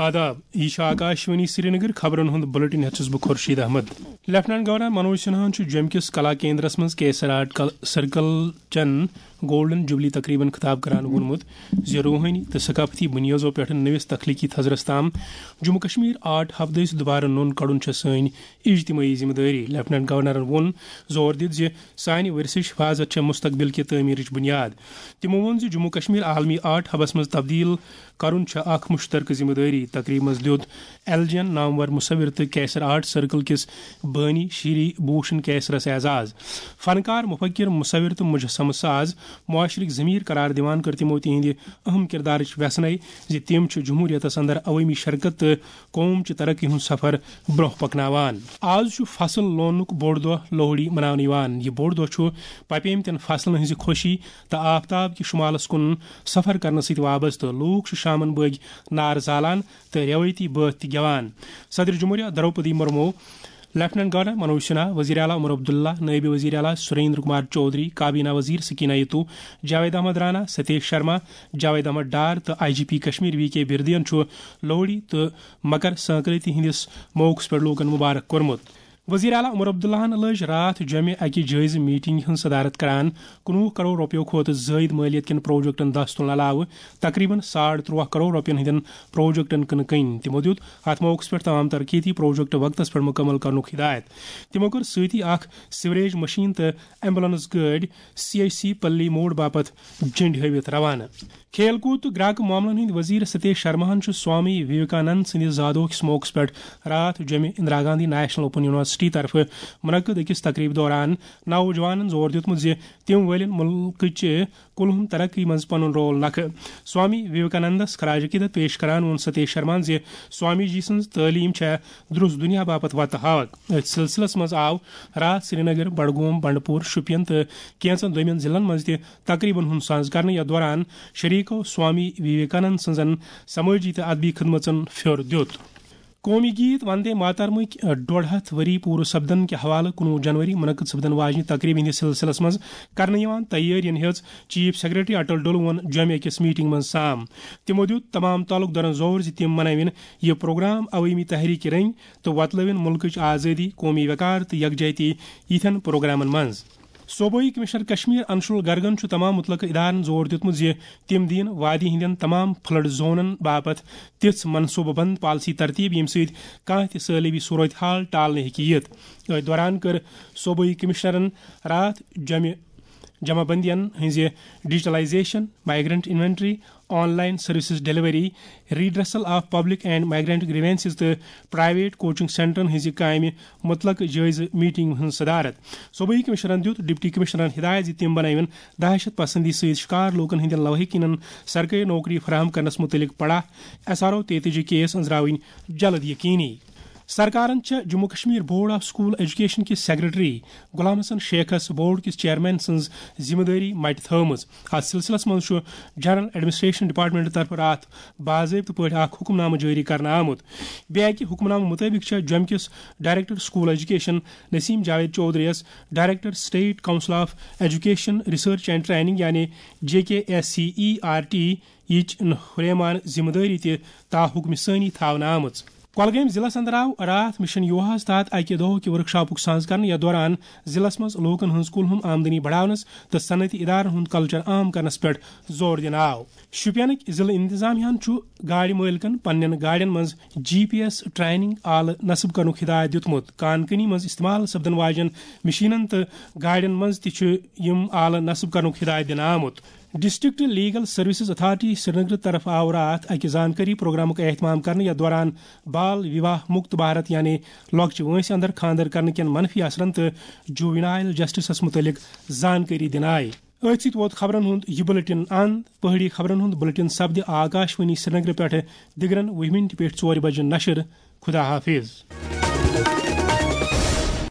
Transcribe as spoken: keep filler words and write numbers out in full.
آداب، یہِ چھُ آکاشوانی سرینگر۔ خبرن ہُنٛد بُلٹن ہٮ۪تھ چھُس بہٕ خورشید احمد۔ لیفٹیننٹ گورنر منوج سنہاہن چھُ جوٚمہِ کِس کلا کیندرس منٛز کیسر آرٹ کل-، سرکل چٮ۪ن گولڈن جوبلی تقریبن خطاب کران ووٚنمُت زِ روحٲنی تہٕ ثقافتی بُنیٲدو پٮ۪ٹھ نٔوِس تخلیقی تھزرس تام جموں کشمیر آرٹ ہب دٔسۍ دُبارٕ نوٚن کڑُن چھےٚ سٲنۍ اجتماعی ذمہ دٲری۔ لیفٹیننٹ گورنرن ووٚن زور دِتھ زِ سانہِ ورثٕچ حفاظت چھےٚ مستقبل کہِ تعمیرٕچ بُنیاد۔ تِمو ووٚن زِ جموں کشمیر عالمی آرٹ ہبس منٛز تبدیل کرُن چھےٚ اکھ مشترکہٕ ذمہ دٲری۔ تقریبہِ منٛز دیُت ایل جی این نامور مصور تہٕ کیسر آرٹ سرکل کِس بٲنی شری بھوشن کیسرس اعزاز۔ فنکار، مفکر، مصور تہٕ مجسمہٕ ساز معاشرٕکۍ ضمیر قرار دِوان کٔر تِمو تِہنٛدِ اہم کردارٕچ وٮ۪ژھنَے زِ تِم چھِ جمہوریتس اندر عوٲمی شرکت تہٕ قوم چہِ ترقی ہُنٛد سفر برونٛہہ پکناوان۔ آز چھُ فصل لوننُک بوٚڑ دۄہ لوہڑی مناونہٕ یِوان۔ یہِ بوٚڑ دۄہ چھُ پپیمتٮ۪ن فصلن ہٕنٛزِ خوشی تہٕ آفتاب کہِ شمالس کُن سفر کرنہٕ سۭتۍ وابستہٕ۔ لوٗکھ چھِ شامن بٲگۍ نار زالان تہٕ رٮ۪وٲیتی بٲتھ تہِ گٮ۪وان۔ صدر جمہوریہ دروپدی مرمو، لیفٹیننٹ گورنر منوج سنہا، وزیر اعلیٰ عمر عبداللہ، نائب وزیر اعلیٰ سریندر کمار چودھری، کابینہ وزیر سکینہ یتو، جاوید احمد رانا، ستیش شرما، جاوید احمد ڈار تہٕ I G P Kashmir V K بردین چھُ لوہڑی تہٕ مکر سنکرانتی ہٕنٛدِس موقعس پٮ۪ٹھ لوٗکن مبارک کوٚرمُت۔ وزیر اعلیٰ عمر عبداللہن لٲج راتھ جوٚمہِ اکہِ جٲیزٕ میٹنگ ہٕنٛز صدارت کران کُنوُہ کرور رۄپیو کھۄتہٕ زٲیِد مٲلیت کٮ۪ن پروجیکٹن دست تُلنہٕ علاوٕ تقریباً ساڑ ترٛواہ کرور رۄپین ہٕنٛدٮ۪ن پروجیکٹن کٕنہٕ کٕنۍ۔ تِمو دیُت اتھ موقعس پٮ۪ٹھ تمام ترقیتی پروجیکٹ وقتس پٮ۪ٹھ مکمل کرنُک ہدایت۔ تِمو کٔر سۭتی اکھ سیوریج مشین تہٕ ایمبولینس گٲڑۍ سی ایچ سی پلی موڑ باپتھ جنڈ ہٲوِتھ روانہٕ۔ کھیل کوٗد تہٕ گراکہٕ معاملن ہٕنٛدۍ وزیر ستیش شرماہن چھُ سوامی وویکانند سٕنٛدِ زادوہ کِس موقعس پٮ۪ٹھ راتھ جوٚمہِ Indira Gandhi national open university طرفہٕ منعقد أکِس تقریبہِ دوران نوجوانن زور دیُتمُت زِ تِم وٲلِن مُلکٕچہِ کُلہُم ترقی منٛز پنُن رول نکھٕ۔ سوامی وویکانندس خراج عقیدت پیش کران ووٚن ستیش شرماہن زِ سوامی جی سٕنٛز تعلیٖم چھےٚ درُس دُنیا باپتھ وتہٕ ہاوکھ۔ أتھۍ سلسلس منٛز آو راتھ سرینگر، بڈگوم، بنڈپور، شوپین تہٕ کینٛژن دوٚیمٮ۪ن ضلعن منٛز تہِ تقریبن ہُنٛد ساز کرنہٕ۔ یتھ دوران شریکو سوامی وویکانند سٕنٛزن سمٲجی تہٕ ادبی خدمژن پھیوٚر دیُت۔ قومی گیت وندے ماترمٕکۍ ڈۄڈ ہتھ ؤری پوٗرٕ سپدن کہِ حوالہٕ کُنوُہ جنوری منعقد سپدن واجنہِ تقریبہِ ہٕنٛدِس سلسلس منٛز کرنہٕ یِوان تیٲرین ہیٚژ چیف سیکرٹری اٹل ڈُلوُن جوٚمہِ أکِس میٹنگ منٛز سام۔ تِمو دیُت تمام تعلق دارن زور زِ تِم منٲوِن یہِ پروگرام عوٲمی تحریک رٔنگۍ تہٕ وۄتلٲوِن مُلکٕچ آزٲدی، قومی وقار تہٕ یکجہتی یِتھٮ۪ن پروگرامن منٛز۔ صوبٲئی کمشنر کشمیر انشول گرگن چھُ تمام متعلقہٕ ادارن زور دیُتمُت زِ تِم دِیِن وادی ہٕنٛدٮ۪ن تمام فلڈ زونن باپتھ تِژھ منصوبہٕ بند پالیسی ترتیب، ییٚمہِ سۭتۍ کانٛہہ تہِ سٲلٲبی صورت حال ٹالنہٕ ہیٚکہِ یِتھ۔ أتھۍ دوران کٔر صوبٲئی کمشنرن راتھ جمع جمع بندین ہٕنٛزِ digitalisation, migrant inventory, online services delivery, redressal of public and migrant grievances تہٕ پرائیویٹ کوچنگ سینٹرن ہٕنٛزِ کامہِ متعلق جٲیزٕ میٹنگ ہٕنٛز صدارت۔ صوبٲئی کمشنرن دیُت ڈپٹی کمشنرن ہدایت زِ تِم بنٲوِن دہشت پسندی سۭتۍ شکار لوٗکن ہٕنٛدٮ۪ن لواحقینن سرکٲرۍ نوکری فراہم کرنس متعلق پڑا ایس آر او تیتٲجی کیس أنٛزراوٕنۍ جلد یقینی۔ سرکارن چھےٚ Jammu Kashmir board of school education کِس سیکرٹری غلام حسن شیخس بورڈ کِس چیئرمین سٕنٛز ذمہ دٲری مٹہِ تھٲومٕژ۔ اتھ سلسلس منٛز چھُ جنرل ایڈمنسٹریشن ڈپارٹمنٹ طرفہٕ راتھ باضٲبطہٕ پٲٹھۍ اکھ حکم نامہٕ جٲری کرنہٕ آمُت۔ بیٚیہِ اکہِ حکم نامہٕ مُطٲبِق چھےٚ جوٚمہِ کِس director school education Naseem Javed Chaudhary یَس director state council of education, research and training یعنی J K S C E R T یِچ ہُریمان ذمہ دٲری تہِ تاحکم ثٲنی تھاونہٕ آمٕژ۔ کۄلگٲمۍ ضلعس اندر آو راتھ مشن یوہاہس تحت اکہِ دۄہ کہِ ورکشاپُک ساز کرنہٕ، یتھ دوران ضلعس منٛز لوٗکن ہٕنٛز کُلہُم آمدنی بڑاونس تہٕ صنعتی ادارن ہُنٛد کلچر عام کرنس پٮ۪ٹھ زور دِنہٕ آو۔ شوپینٕکۍ ضلعہٕ انتظامیہ ہن چھُ گاڑِ مٲلکن پننٮ۪ن گاڑٮ۪ن منٛز جی پی ایس ٹریننگ آلہٕ نصب کرنُک ہدایت دیُتمُت۔ کان کنی منٛز استعمال سپدن واجٮ۪ن مشینن تہٕ گاڑٮ۪ن منٛز تہِ چھُ یِم آلہٕ نصب کرنُک ہدایت دِنہٕ آمُت۔ District legal services authority Srinagar طرف آو راتھ اکہِ زانکٲری پروگرامُک اہتمام کرنہٕ، یتھ دوران بال وواہ مکت بھارت یعنی لۄکچہِ وٲنٛسہِ اندر خانٛدر کرنہٕ کٮ۪ن منفی اثرن تہٕ جووینائل جسٹسس متعلق زانکٲری دِنہٕ آیہِ۔ أتھۍ سۭتۍ ووت خبرن ہُنٛد یہِ بُلٹن اند۔ پہٲڑی خبرن ہُنٛد بُلٹن سپدِ آکاشوانی سرینگر پٮ۪ٹھٕ دِگرن وُہہِ مِنٹہِ پٮ۪ٹھ ژورِ بجہِ نشر۔ خدا حافظ۔